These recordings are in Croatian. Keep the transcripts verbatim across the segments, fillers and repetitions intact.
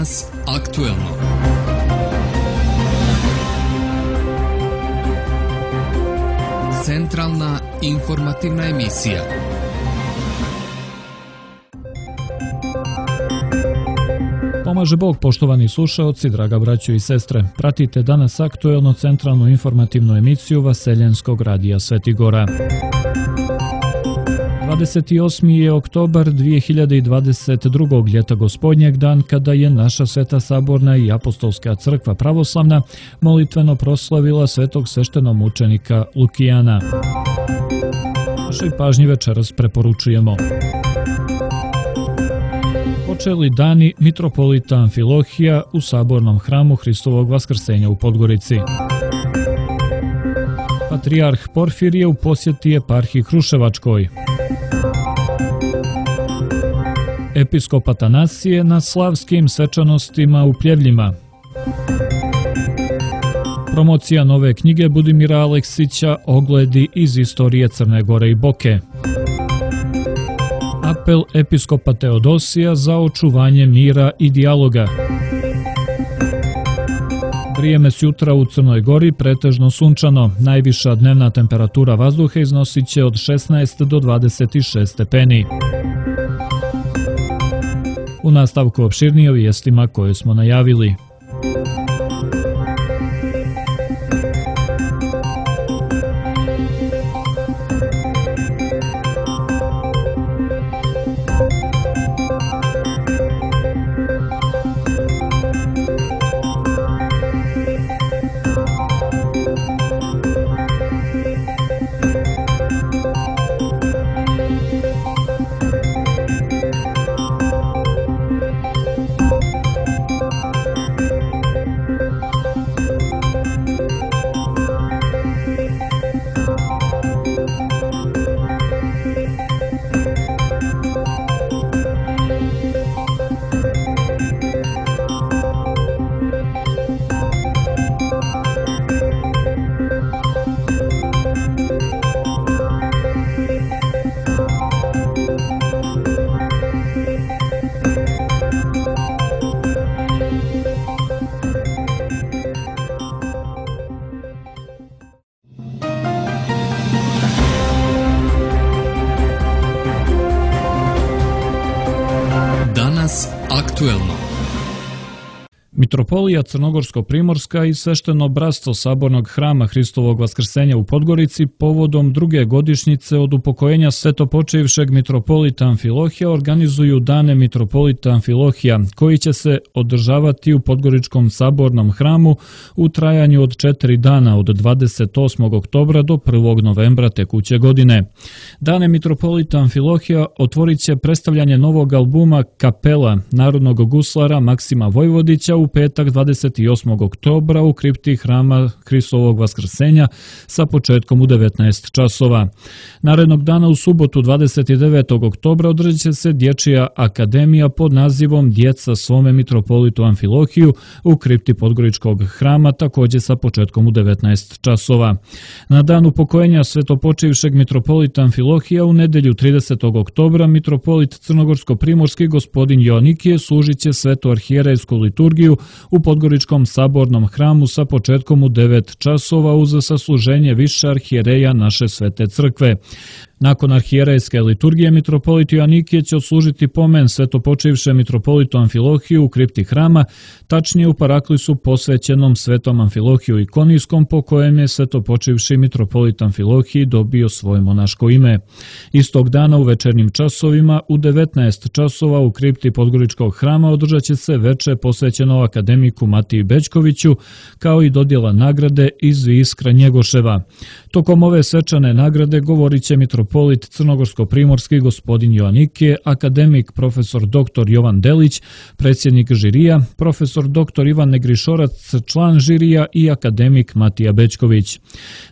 Danas aktuelno. Centralna informativna emisija. Pomaže Bog, poštovani slušaoci, draga braćo i sestre. Pratite danas aktuelno centralnu informativnu emisiju Vaseljenskog radija Sveti Gora. dvadeset osmi je oktobar dvije hiljade dvadeset drugog. ljeta gospodnjeg, dan kada je naša Sveta Saborna i Apostolska crkva pravoslavna molitveno proslavila svetog sveštenomučenika Lukijana. Našoj pažnji večeras preporučujemo: počeli dani mitropolita Amfilohija u Sabornom hramu Hristovog Vaskrsenja u Podgorici. Patrijarh Porfirije u posjeti eparhiji Kruševačkoj. Episkop Atanasije na slavskim svečanostima u Pljevljima. Promocija nove knjige Budimira Aleksića Ogledi iz istorije Crne Gore i Boke. Apel episkopa Teodosija za očuvanje mira i dijaloga. Vrijeme s jutra u Crnoj Gori pretežno sunčano. Najviša dnevna temperatura vazduha iznosit će od šesnaest do dvadeset šest stepeni. U nastavku opširnije o vijestima koje smo najavili. Aktuelno. Mitropolija Crnogorsko-primorska i svešteno bratstvo Sabornog hrama Hristovog Vaskrsenja u Podgorici povodom druge godišnjice od upokojenja svetopočivšeg mitropolita Amfilohija organizuju dane mitropolita Amfilohija, koji će se održavati u Podgoričkom Sabornom hramu u trajanju od četiri dana od dvadeset osmog oktobra do prvog novembra tekuće godine. Dane mitropolita Amfilohija otvorit će predstavljanje novog albuma Kapela narodnog guslara Maksima Vojvodića u petak dvadeset osmog oktobra u kripti hrama Hristovog Vaskrsenja sa početkom u devetnaest časova. Narednog dana u subotu dvadeset devetog oktobra održat će se dječja akademija pod nazivom Djeca svome mitropolitu Amfilohiju u kripti Podgoričkog hrama također sa početkom u devetnaest časova. Na dan upokojenja svetopočivšeg mitropolita Amfilohija u nedjelju tridesetog oktobra mitropolit Crnogorsko-primorski gospodin Joanikije služit će svetu arhijerejsku liturgiju u Podgoričkom Sabornom hramu sa početkom u devet časova uz sasluženje više arhijereja naše svete crkve. Nakon arhijerejske liturgije mitropolit Joanikije će odslužiti pomen svetopočivše mitropolitu Amfilohiju u kripti hrama, tačnije u paraklisu posvećenom svetom Amfilohiju Ikonijskom, po kojem je svetopočivši mitropolit Amfilohiji dobio svoje monaško ime. Istog dana u večernjim časovima u devetnaest časova u kripti Podgoričkog hrama održat će se veče posvećeno akademiku Matiji Bećkoviću, kao i dodjela nagrade iz Iskra Njegoševa. Tokom ove svečane nagrade govorit će mitropolit Crnogorsko-primorski gospodin Joanikije, akademik profesor doktor Jovan Delić, predsjednik žirija, profesor doktor Ivan Negrišorac, član žirija i akademik Matija Bećković.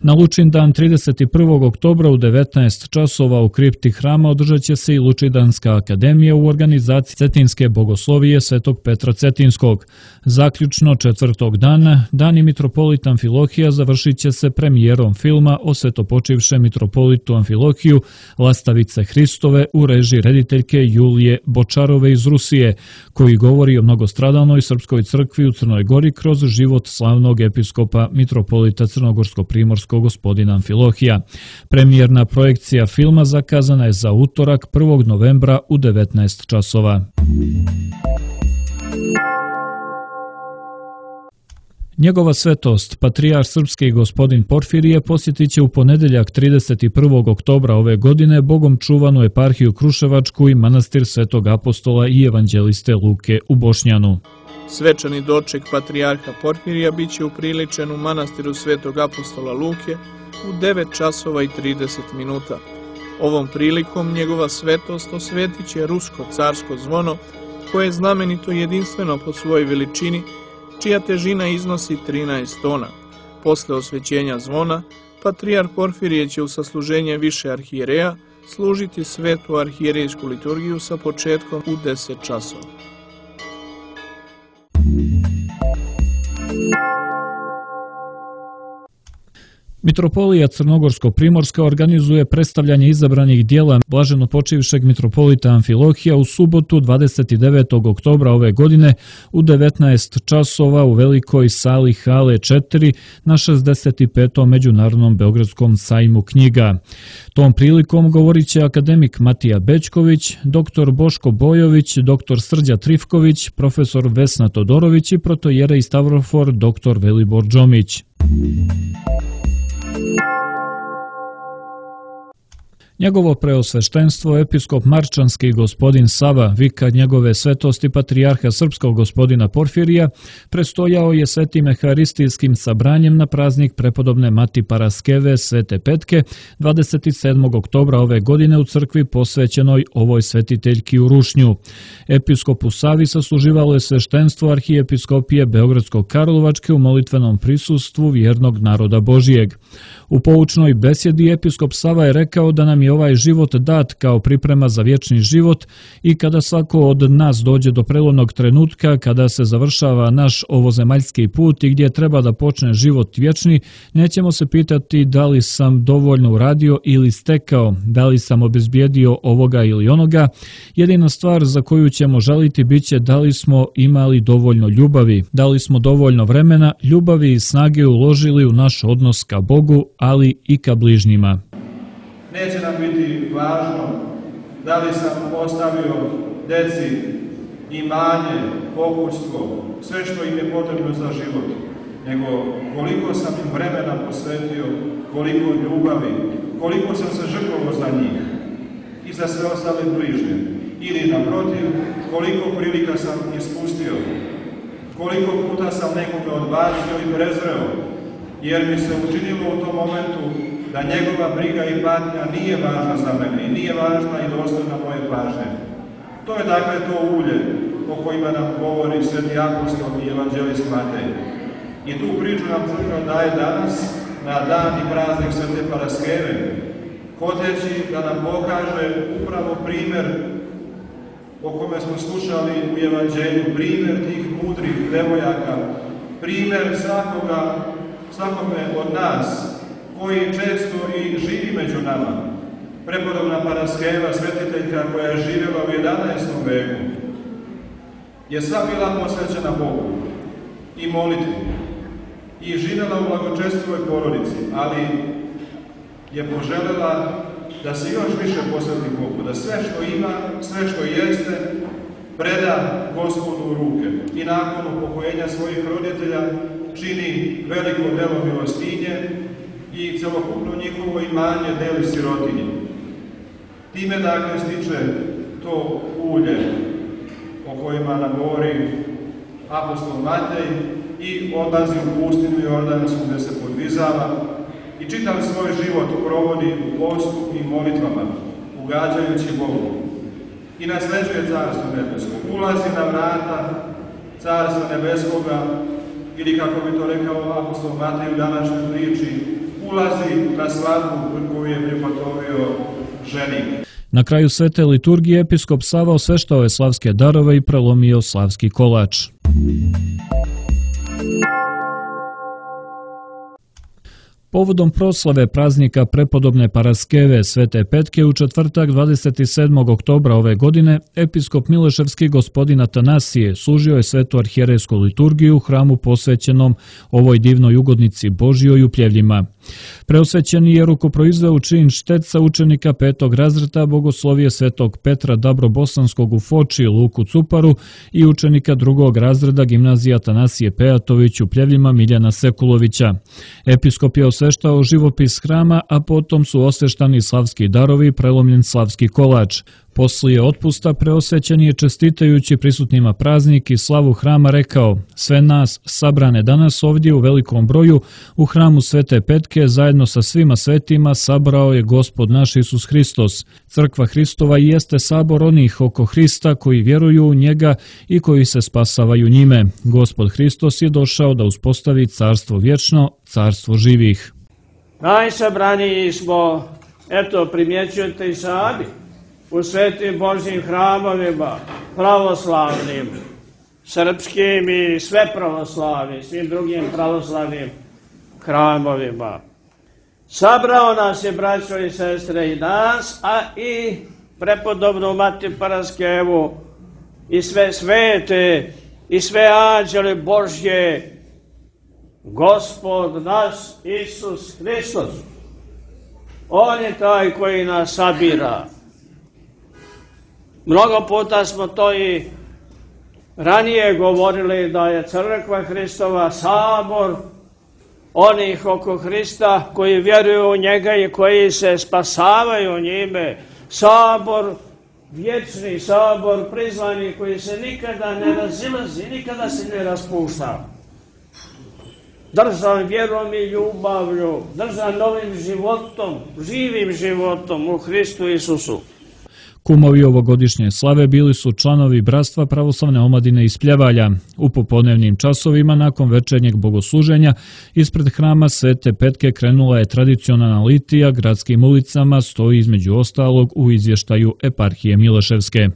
Na Lučindan trideset prvog oktobra u devetnaest časova u kripti hrama održat će se i Lučidanska akademija u organizaciji Cetinske bogoslovije Svetog Petra Cetinskog. Zaključno četvrtog dana, dani mitropolita Amfilohija završit će se premijerom filma o svetopočivšem mitropolitu Amfilohiju Filohiju, Lastavice Hristove u režiji rediteljke Julije Bočarove iz Rusije, koji govori o mnogostradalnoj srpskoj crkvi u Crnoj Gori kroz život slavnog episkopa mitropolita crnogorsko-primorskog gospodina Amfilohija. Premijerna projekcija filma zakazana je za utorak prvog novembra u devetnaest časova. Njegova svetost, patrijarh srpski gospodin Porfirije, posjetit će u ponedeljak trideset prvog oktobra ove godine bogom čuvanu eparhiju Kruševačku i manastir Svetog apostola i evanđeliste Luke u Bošnjanu. Svečani doček patrijarha Porfirija biće upriličen u manastiru Svetog apostola Luke u devet časova i trideset minuta. Ovom prilikom njegova svetost osvetit će rusko carsko zvono, koje je znamenito jedinstveno po svojoj veličini, čija težina iznosi trinaest tona. Posle osvećenja zvona, patrijarh Porfirije će u sasluženje više arhijereja služiti svetu arhijerejsku liturgiju sa početkom u deset časova. Mitropolija Crnogorsko-primorska organizuje predstavljanje izabranih dijela blaženopočivšeg mitropolita Amfilohija u subotu dvadeset devetog oktobra ove godine u devetnaest časova u velikoj sali hale četiri na šezdeset petom Međunarodnom beogradskom sajmu knjiga. Tom prilikom govorit će akademik Matija Bećković, doktor Boško Bojović, doktor Srđa Trifković, profesor Vesna Todorović i protojerej Stavrofor doktor Velibor Džomić. Njegovo preosveštenstvo, episkop Marčanski gospodin Sava, vikar njegove svetosti patrijarha srpskog gospodina Porfirija, prestojao je svetim eharistijskim sabranjem na praznik prepodobne Mati Paraskeve Svete Petke dvadeset sedmog oktobra ove godine u crkvi posvećenoj ovoj svetiteljki u Rušnju. Episkopu Savi sasluživalo je sveštenstvo arhijepiskopije Beogradsko-Karlovačke u molitvenom prisustvu vjernog naroda Božijeg. U poučnoj besjedi episkop Sava je rekao da nam je ovaj život dat kao priprema za vječni život i kada svako od nas dođe do prelomnog trenutka, kada se završava naš ovozemaljski put i gdje treba da počne život vječni, nećemo se pitati da li sam dovoljno uradio ili stekao, da li sam obezbijedio ovoga ili onoga. Jedina stvar za koju ćemo žaliti biće da li smo imali dovoljno ljubavi, da li smo dovoljno vremena, ljubavi i snage uložili u naš odnos ka Bogu, ali i ka bližnjima. Neće nam biti važno da li sam ostavio deci imanje, pokućstvo, sve što im je potrebno za život, nego koliko sam im vremena posvetio, koliko ljubavi, koliko sam se žrtvovao za njih i za sve ostale bližnje. Ili naprotiv, koliko prilika sam ispustio, koliko puta sam nekoga odbacio i prezreo, jer mi se učinilo u tom momentu da njegova briga i patnja nije važna za mene i nije važna i dostojna moje pažnje. To je dakle to ulje o kojima nam govori sveti apostol i evanđelist Matej. I tu priču nam crkva daje danas na dan i praznik Svete Paraskeve, hoteći da nam pokaže upravo primjer o kome smo slušali u evanđelju, primjer tih mudrih devojaka, primjer svakoga, svakome od nas, koji često i živi među nama. Prepodobna Paraskeva, svetiteljka koja je živjela u jedanaestom veku, je sva bila posvećena Bogu i molitvi i živjela u blagočestvivoj porodici, ali je poželjela da se još više posveti Bogu, da sve što ima, sve što jeste, preda Gospodu u ruke i nakon upokojenja svojih roditelja čini veliko delo milostinje i celokupno njihovo imanje deli sirotinji. Time dakle stiče to ulje o kojima nam govori apostol Matej i odlazi u pustinu Jordansku gdje se podvizava i čitav svoj život provodi u postu i molitvama, ugađajući Bogu. I nasleđuje Carstvo nebesko. Ulazi na vrata Carstva nebeskoga, ili kako bi to rekao apostol Matej u današnjoj priči, ulazi na svadbu koju je pripatovio ženik. Na kraju svete liturgije episkop Sava osveštao je slavske darove i prelomio slavski kolač. Povodom proslave praznika prepodobne Paraskeve Svete Petke u četvrtak dvadeset sedmog oktobra ove godine, episkop Mileševski gospodin Atanasije služio je svetu arhijerejsku liturgiju u hramu posvećenom ovoj divnoj ugodnici Božjoj u Pljevljima. Preosvećeni je rukoproizveo čin šteca učenika petog razreda Bogoslovije Svetog Petra Dabrobosanskog u Foči Luku Cuparu i učenika drugog razreda gimnazije Atanasije Pejatović u Pljevljima Miljana Sekulovića. Episkop je osveštao živopis hrama, a potom su osveštani slavski darovi i prelomljen slavski kolač. Poslije otpusta preosvećeni je čestitajući prisutnima praznik i slavu hrama rekao: sve nas sabrane danas ovdje u velikom broju u hramu Svete Petke zajedno sa svima svetima sabrao je Gospod naš Isus Hristos. Crkva Hristova jeste sabor onih oko Hrista koji vjeruju u njega i koji se spasavaju njime. Gospod Hristos je došao da uspostavi carstvo vječno, carstvo živih. Najsabraniji smo, eto primjećujete i sami, u svetim Božjim hramovima, pravoslavnim, srpskim i sve pravoslavnim, svim drugim pravoslavnim hramovima. Sabrao nas je, braćo i sestre, i nas, a i prepodobnu Mati Paraskevu, i sve svete, i sve anđele Božje, Gospod naš Isus Hristos. On je taj koji nas sabira. Mnogo puta smo to i ranije govorili da je crkva Hristova sabor onih oko Hrista koji vjeruju u njega i koji se spasavaju njime. Sabor, vječni sabor, prizvani koji se nikada ne razilazi, nikada se ne raspušta. Držan vjerom i ljubavlju, držan novim životom, živim životom u Hristu Isusu. Kumovi ovogodišnje slave bili su članovi Bratstva pravoslavne omladine iz Pljevalja. U popodnevnim časovima nakon večernjeg bogosluženja ispred hrama Svete Petke krenula je tradicionalna litija gradskim ulicama, stoji između ostalog u izvještaju eparhije Mileševske.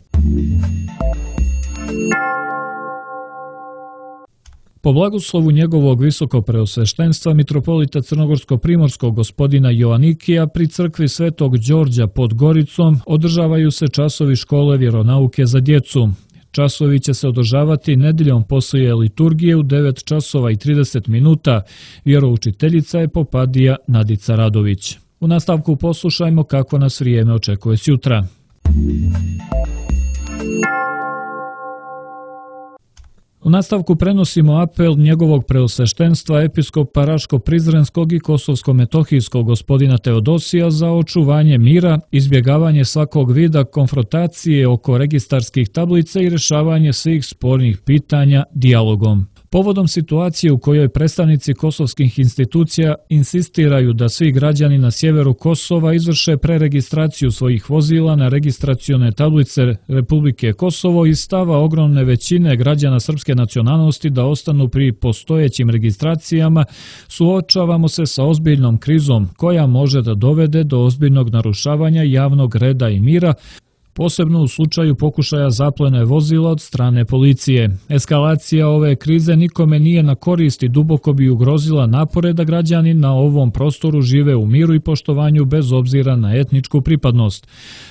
Po blagoslovu njegovog visokopreosveštenstva mitropolita Crnogorsko-primorskog gospodina Joanikija pri crkvi Svetog Đorđa pod Goricom održavaju se časovi škole vjeronauke za djecu. Časovi će se održavati nedeljom poslije liturgije u devet časova i trideset minuta. Vjeroučiteljica je popadija Nadica Radović. U nastavku poslušajmo kako nas vrijeme očekuje sjutra. U nastavku prenosimo apel njegovog preosveštenstva episkopa Raško-Prizrenskog i Kosovsko-Metohijskog gospodina Teodosija za očuvanje mira, izbjegavanje svakog vida konfrontacije oko registarskih tablica i rješavanje svih spornih pitanja dijalogom. Povodom situacije u kojoj predstavnici kosovskih institucija insistiraju da svi građani na sjeveru Kosova izvrše preregistraciju svojih vozila na registracione tablice Republike Kosovo i stava ogromne većine građana srpske nacionalnosti da ostanu pri postojećim registracijama, suočavamo se sa ozbiljnom krizom koja može da dovede do ozbiljnog narušavanja javnog reda i mira, posebno u slučaju pokušaja zaplene vozila od strane policije. Eskalacija ove krize nikome nije na korist i duboko bi ugrozila napore da građani na ovom prostoru žive u miru i poštovanju bez obzira na etničku pripadnost.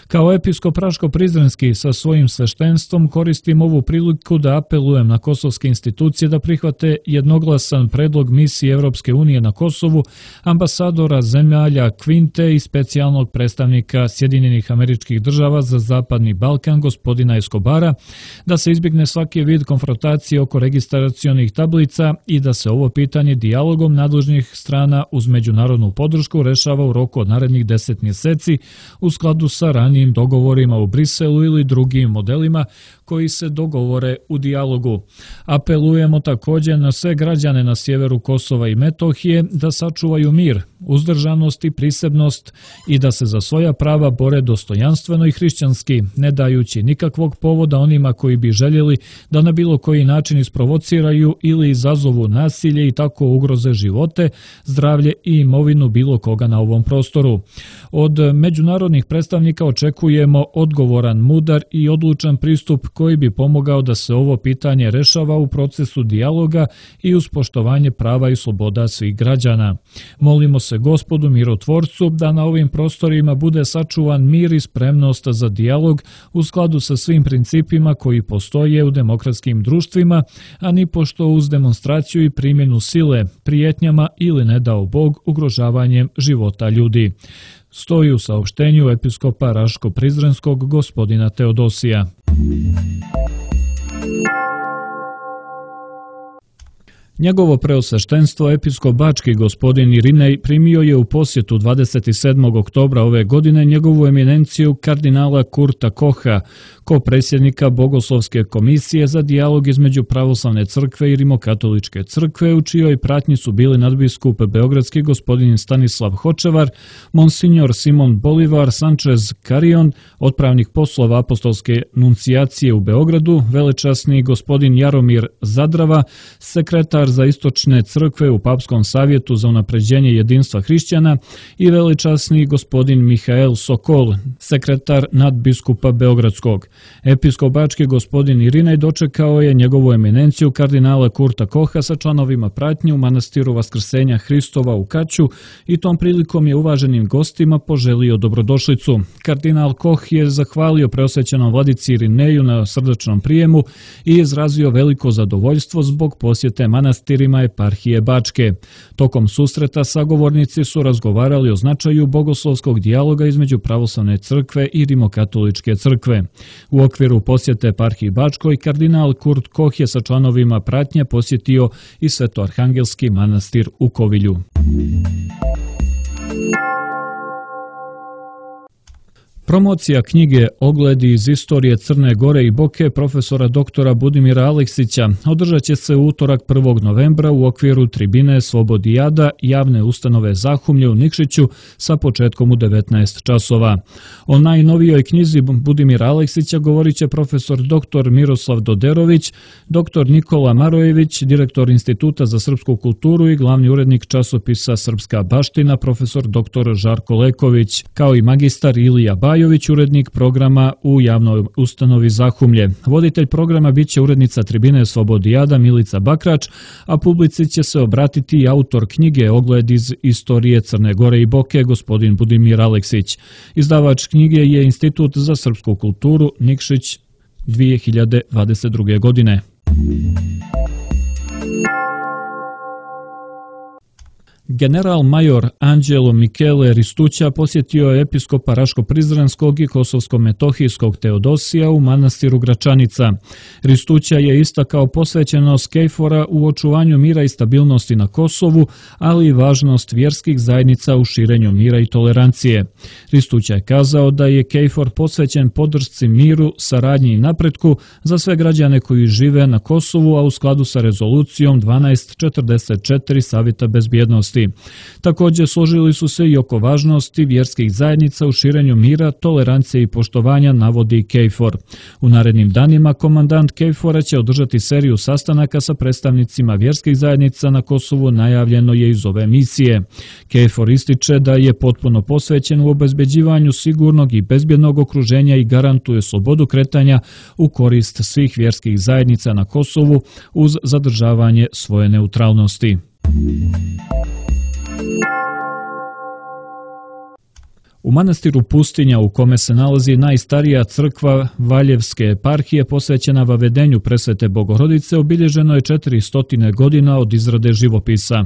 Kao episkop Raško-Prizrenski sa svojim sveštenstvom koristim ovu priliku da apelujem na kosovske institucije da prihvate jednoglasan predlog misije Evropske unije na Kosovu, ambasadora zemalja Kvinte i specijalnog predstavnika Sjedinjenih Američkih Država za Zapadni Balkan gospodina Escobara, da se izbjegne svaki vid konfrontacije oko registracionih tablica i da se ovo pitanje dijalogom nadležnih strana uz međunarodnu podršku rešava u roku od narednih deset mjeseci u skladu sa ranijim dogovorima u Briselu ili drugim modelima koji se dogovore u dijalogu. Apelujemo također na sve građane na sjeveru Kosova i Metohije da sačuvaju mir, uzdržanost i prisebnost i da se za svoja prava bore dostojanstveno i hrišćanski, ne dajući nikakvog povoda onima koji bi željeli da na bilo koji način isprovociraju ili izazovu nasilje i tako ugroze živote, zdravlje i imovinu bilo koga na ovom prostoru. Od međunarodnih predstavnika očekujemo odgovoran, mudar i odlučan pristup koji bi pomogao da se ovo pitanje rešava u procesu dijaloga i uz poštovanje prava i sloboda svih građana. Molimo se Gospodu mirotvorcu da na ovim prostorima bude sačuvan mir i spremnost za dijalog u skladu sa svim principima koji postoje u demokratskim društvima, a ni pošto uz demonstraciju i primjenu sile, prijetnjama ili ne dao Bog ugrožavanjem života ljudi. Stoji u saopštenju episkopa Raško-Prizrenskog gospodina Teodosija. Njegovo preosveštenstvo episkop Bački gospodin Irinej primio je u posjetu dvadeset sedmog oktobra ove godine njegovu eminenciju kardinala Kurta Koha, ko-predsjednika Bogoslovske komisije za dijalog između pravoslavne crkve i rimokatoličke crkve, u čijoj pratnji su bili nadbiskup beogradski gospodin Stanislav Hočevar, monsignor Simon Bolivar Sanchez Carion, otpravnik poslova apostolske nuncijacije u Beogradu, velečasni gospodin Jaromir Zadrava, sekretar za istočne crkve u Papskom savjetu za unapređenje jedinstva hrišćana i velečasni gospodin Mihael Sokol, sekretar nadbiskupa Beogradskog. Episkop Bački gospodin Irinej dočekao je njegovu eminenciju kardinala Kurta Koha sa članovima pratnje u manastiru Vaskrsenja Hristova u Kaću i tom prilikom je uvaženim gostima poželio dobrodošlicu. Kardinal Koh je zahvalio preosvećenom vladici Irineju na srdačnom prijemu i izrazio veliko zadovoljstvo zbog posjete manastirima eparhije Bačke. Tokom susreta sagovornici su razgovarali o značaju bogoslovskog dijaloga između pravoslavne crkve i rimokatoličke crkve. U okviru posjete eparhiji Bačkoj, kardinal Kurt Koh je sa članovima pratnje posjetio i Svetoarhangelski manastir u Kovilju. Promocija knjige Ogledi iz istorije Crne Gore i Boke profesora doktora Budimira Aleksića održat će se u utorak prvog novembra u okviru tribine Slobodijada javne ustanove Zahumlje u Nikšiću sa početkom u devetnaest časova. O najnovijoj knjizi Budimira Aleksića govorit će profesor doktor Miroslav Doderović, doktor Nikola Marojević, direktor Instituta za srpsku kulturu i glavni urednik časopisa Srpska baština profesor doktor Žarko Leković, kao i magistar Ilija Bajović, urednik programa u javnoj ustanovi Zahumlje. Voditelj programa biće urednica tribine Slobodijada Milica Bakrač, a publici će se obratiti i autor knjige Ogled iz istorije Crne Gore i Boke, gospodin Budimir Aleksić. Izdavač knjige je Institut za srpsku kulturu Nikšić dvije hiljade dvadeset druge. godine. General major Anđelo Michele Ristuća posjetio je episkopa Raško-Prizrenskog i Kosovsko-Metohijskog Teodosija u manastiru Gračanica. Ristuća je istakao posvećenost Kejfora u očuvanju mira i stabilnosti na Kosovu, ali i važnost vjerskih zajednica u širenju mira i tolerancije. Ristuća je kazao da je Kejfor posvećen podršci miru, saradnji i napretku za sve građane koji žive na Kosovu, a u skladu sa rezolucijom dvanaest četrdeset četiri Savjeta bezbjednosti. Također složili su se i oko važnosti vjerskih zajednica u širenju mira, tolerancije i poštovanja, navodi Kejfor. U narednim danima komandant Kejfora će održati seriju sastanaka sa predstavnicima vjerskih zajednica na Kosovu, najavljeno je iz ove misije. Kejfor ističe da je potpuno posvećen u obezbeđivanju sigurnog i bezbjednog okruženja i garantuje slobodu kretanja u korist svih vjerskih zajednica na Kosovu uz zadržavanje svoje neutralnosti. U manastiru Pustinja, u kome se nalazi najstarija crkva Valjevske eparhije posvećena vavedenju presvete Bogorodice, obilježeno je četiristo godina od izrade živopisa.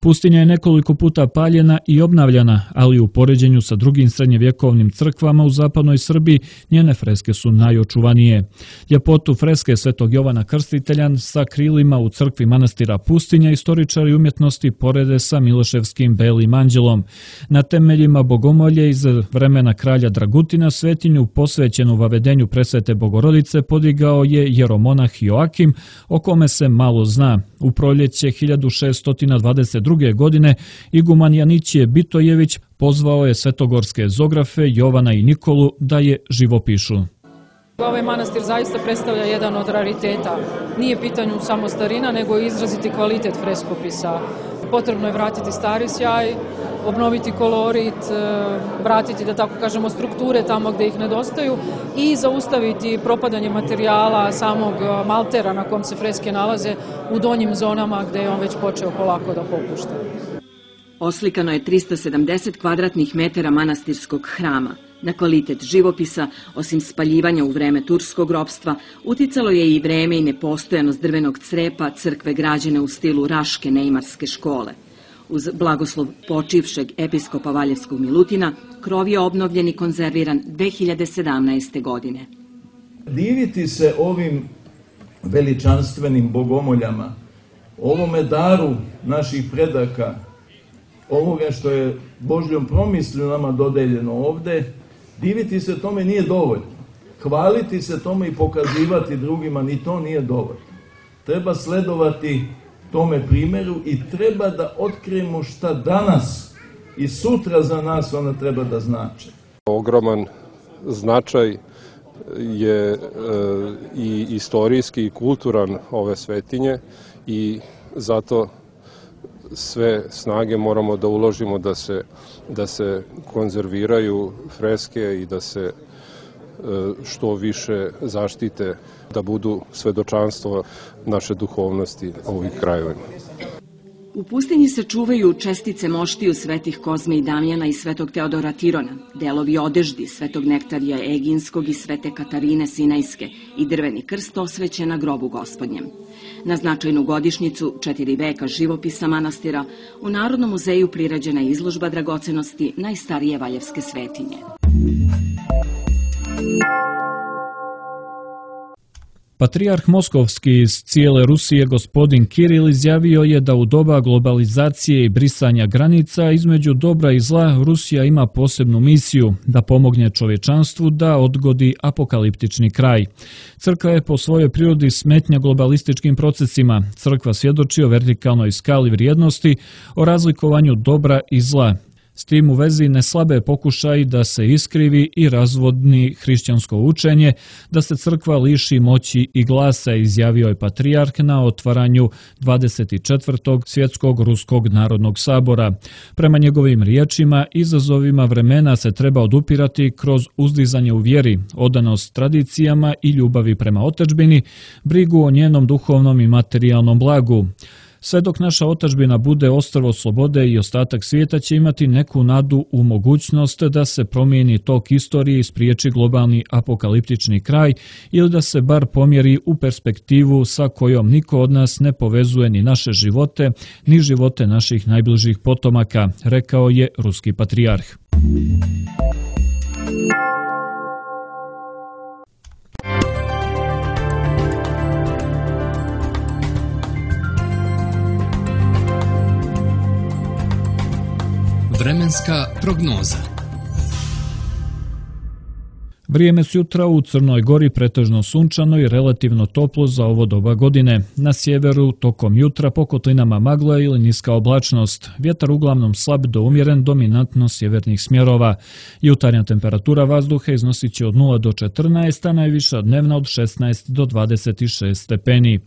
Pustinja je nekoliko puta paljena i obnavljana, ali u poređenju sa drugim srednjevjekovnim crkvama u zapadnoj Srbiji njene freske su najočuvanije. Ljepotu freske Svetog Jovana Krstitelja sa krilima u crkvi manastira Pustinja istoričari umjetnosti porede sa Miloševskim Belim anđelom. Na temeljima bogomolje iz vremena kralja Dragutina svetinju posvećenu vavedenju presvete Bogorodice podigao je jeromonah Joakim, o kome se malo zna. U proljeće hiljadu šeststo dvadeset druge. godine iguman Janićije Bitojević pozvao je svetogorske zografe Jovana i Nikolu da je živopišu. Ovaj manastir zaista predstavlja jedan od rariteta. Nije pitanju samo starina, nego i izraziti kvalitet freskopisa. Potrebno je vratiti stari sjaj, obnoviti kolorit, vratiti, da tako kažemo, strukture tamo gde ih nedostaju i zaustaviti propadanje materijala samog maltera na kom se freske nalaze u donjim zonama gde je on već počeo polako da popušta. Oslikano je trista sedamdeset kvadratnih metara manastirskog hrama. Na kvalitet živopisa, osim spaljivanja u vreme turskog ropstva, uticalo je i vreme i nepostojanost drvenog crepa crkve građene u stilu Raške neimarske škole. Uz blagoslov počivšeg episkopa Valjevskog Milutina, krov je obnovljen i konzerviran dve hiljade sedamnaeste. godine. Diviti se ovim veličanstvenim bogomoljama, ovome daru naših predaka, ovoga što je Božjom promislju nama dodeljeno ovde, diviti se tome nije dovoljno. Hvaliti se tome i pokazivati drugima, ni to nije dovoljno. Treba sledovati tome primjeru i treba da otkrijemo šta danas i sutra za nas ona treba da znači. Ogroman značaj je e, i istorijski i kulturan ove svetinje i zato sve snage moramo da uložimo da se, da se konzerviraju freske i da se e, što više zaštite, da budu svedočanstvo naše duhovnosti ovih krajevima. U pustinji se čuvaju čestice moštiju svetih Kozme i Damjana i svetog Teodora Tirona, delovi odeždi svetog Nektarija Eginskog i svete Katarine Sinajske i drveni krst osvećen na grobu Gospodnjem. Na značajnu godišnjicu četiri veka živopisa manastira u Narodnom muzeju prirađena je izložba dragocenosti najstarije valjevske svetinje. Patrijarh Moskovski iz cijele Rusije gospodin Kiril izjavio je da u doba globalizacije i brisanja granica između dobra i zla Rusija ima posebnu misiju da pomogne čovječanstvu da odgodi apokaliptični kraj. Crkva je po svojoj prirodi smetnja globalističkim procesima. Crkva svjedoči o vertikalnoj skali vrijednosti, o razlikovanju dobra i zla. S tim u vezi ne slabe pokušaj da se iskrivi i razvodni hrišćansko učenje, da se crkva liši moći i glasa, izjavio je patrijarh na otvaranju dvadeset četvrtog svjetskog ruskog narodnog sabora. Prema njegovim riječima, izazovima vremena se treba odupirati kroz uzdizanje u vjeri, odanost tradicijama i ljubavi prema otadžbini, brigu o njenom duhovnom i materijalnom blagu. Sve dok naša otadžbina bude ostrvo slobode i ostatak svijeta će imati neku nadu u mogućnost da se promijeni tok istorije i spriječi globalni apokaliptični kraj ili da se bar pomjeri u perspektivu sa kojom niko od nas ne povezuje ni naše živote, ni živote naših najbližih potomaka, rekao je ruski patrijarh. Vremenska prognoza. Vrijeme sutra u Crnoj Gori pretežno sunčano i relativno toplo za ovo doba godine. Na sjeveru tokom jutra po kotlinama magla ili niska oblačnost. Vjetar uglavnom slab do umjeren, dominantno sjevernih smjerova. Jutarnja temperatura vazduha iznosit će od nula do četrnaest, a najviša dnevna od šesnaest do dvadeset šest stepeni.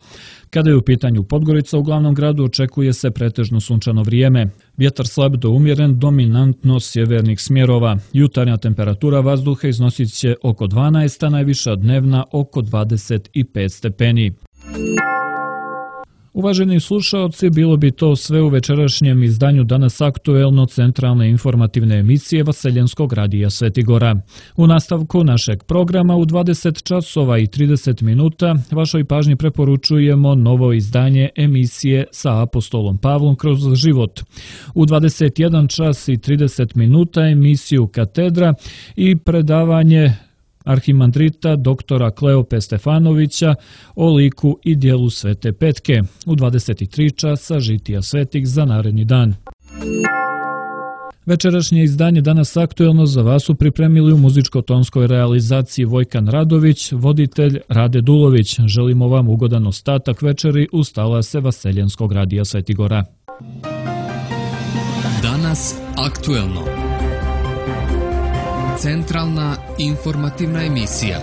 Kada je u pitanju Podgorica, u glavnom gradu očekuje se pretežno sunčano vrijeme. Vjetar slab do umjeren, dominantno sjevernih smjerova. Jutarnja temperatura vazduha iznosit će oko dvanaest, a najviša dnevna oko dvadeset pet stepeni. Uvaženi slušaoci, bilo bi to sve u večerašnjem izdanju Danas aktuelno centralne informativne emisije Vaseljenskog radija Svetigora. U nastavku našeg programa u dvadeset časova i trideset minuta vašoj pažnji preporučujemo novo izdanje emisije sa apostolom Pavlom kroz život. U dvadeset jedan čas i trideset minuta emisiju Katedra i predavanje arhimandrita doktora Kleope Stefanovića o liku i dijelu Svete Petke. U dvadeset tri časa žitija svetih za naredni dan. Večerašnje izdanje Danas aktuelno za vas su pripremili u muzičko-tonskoj realizaciji Vojkan Radović, voditelj Rade Dulović. Želimo vam ugodan ostatak večeri uz talase Vaseljenskog radija Svetigora. Danas aktuelno. Centralna informativna emisija.